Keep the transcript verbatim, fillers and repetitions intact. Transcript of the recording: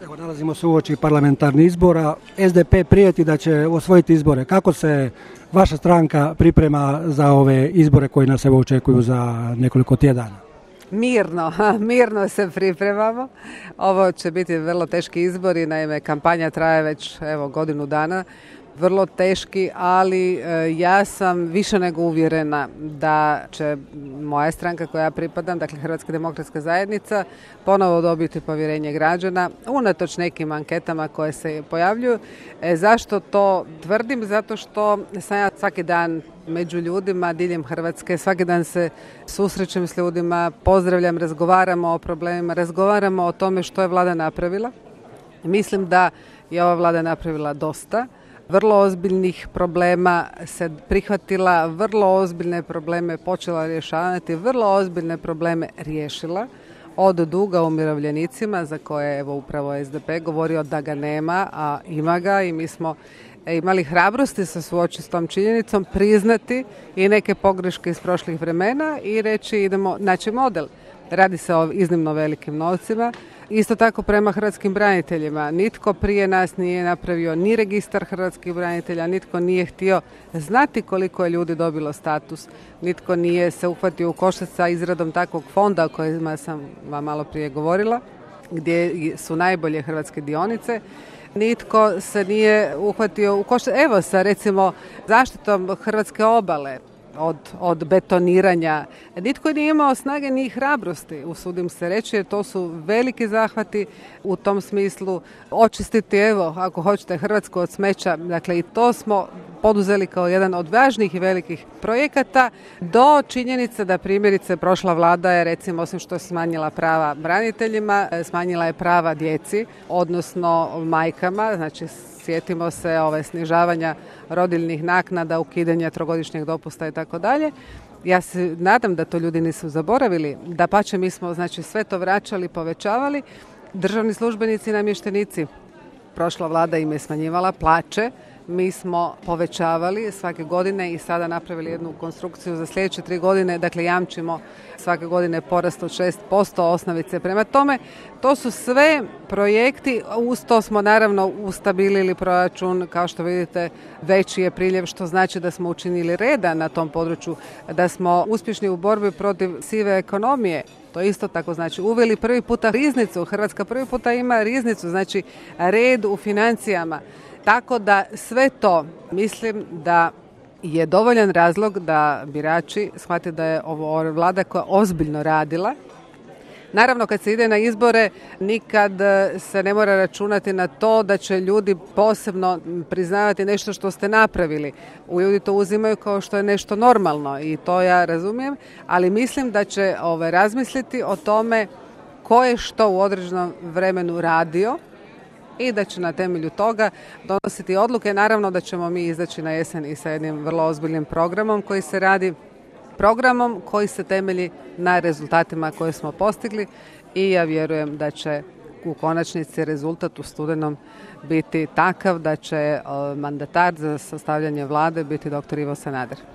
Evo, nalazimo se uoči parlamentarnih izbora. S D P prijeti da će osvojiti izbore. Kako se vaša stranka priprema za ove izbore koji nas evo očekuju za nekoliko tjedana? Mirno, mirno se pripremamo. Ovo će biti vrlo teški izbori, naime kampanja traje već evo godinu dana. Vrlo teški, ali ja sam više nego uvjerena da će moja stranka koja ja pripadam, dakle Hrvatska demokratska zajednica, ponovo dobiti povjerenje građana, unatoč nekim anketama koje se pojavljuju. E, zašto to tvrdim? Zato što sam ja svaki dan među ljudima diljem Hrvatske, svaki dan se susrećem s ljudima, pozdravljam, razgovaramo o problemima, razgovaramo o tome što je vlada napravila. Mislim da je ova vlada napravila dosta. Vrlo ozbiljnih problema se prihvatila, vrlo ozbiljne probleme počela rješavati, vrlo ozbiljne probleme riješila. Od duga umirovljenicima za koje je evo upravo S D P govorio da ga nema, a ima ga i mi smo imali hrabrosti se suočiti s tom činjenicom, priznati i neke pogreške iz prošlih vremena i reći idemo naći model. Radi se o iznimno velikim novcima. Isto tako prema hrvatskim braniteljima. Nitko prije nas nije napravio ni registar hrvatskih branitelja, nitko nije htio znati koliko je ljudi dobilo status, nitko nije se uhvatio u koštac sa izradom takvog fonda o kojima sam vam malo prije govorila, gdje su najbolje hrvatske dionice. Nitko se nije uhvatio u koštac, evo sa recimo zaštitom hrvatske obale, Od, od betoniranja. Nitko nije imao snage ni hrabrosti, usudim se reći, jer to su veliki zahvati u tom smislu. Očistiti, evo, ako hoćete, Hrvatsku od smeća. Dakle, i to smo poduzeli kao jedan od važnih i velikih projekata, do činjenice da primjerice prošla vlada je, recimo, osim što je smanjila prava braniteljima, smanjila je prava djeci, odnosno majkama, znači sjetimo se ove snižavanja rodiljnih naknada, ukidanja trogodišnjeg dopusta i tako dalje. Ja se nadam da to ljudi nisu zaboravili. Dapače, mi smo znači sve to vraćali, povećavali. Državni službenici i namještenici, prošla vlada im je smanjivala plaće. Mi smo povećavali svake godine i sada napravili jednu konstrukciju za sljedeće tri godine. Dakle, jamčimo svake godine porast od šest posto osnovice. Prema tome, to su sve projekti. Uz to smo naravno ustabilili proračun. Kao što vidite, veći je priljev, što znači da smo učinili reda na tom području, da smo uspješni u borbi protiv sive ekonomije. To isto tako znači uveli prvi puta riznicu. Hrvatska prvi puta ima riznicu, znači red u financijama. Tako da sve to mislim da je dovoljan razlog da birači shvate da je ovo vlada koja ozbiljno radila. Naravno, kad se ide na izbore, nikad se ne mora računati na to da će ljudi posebno priznavati nešto što ste napravili. Ljudi to uzimaju kao što je nešto normalno i to ja razumijem, ali mislim da će ove, razmisliti o tome ko je što u određenom vremenu radio i da će na temelju toga donositi odluke. Naravno da ćemo mi izaći na jesen i sa jednim vrlo ozbiljnim programom koji se radi, programom koji se temelji na rezultatima koje smo postigli i ja vjerujem da će u konačnici rezultat u studenom biti takav da će mandatar za sastavljanje vlade biti doktor Ivo Sanader.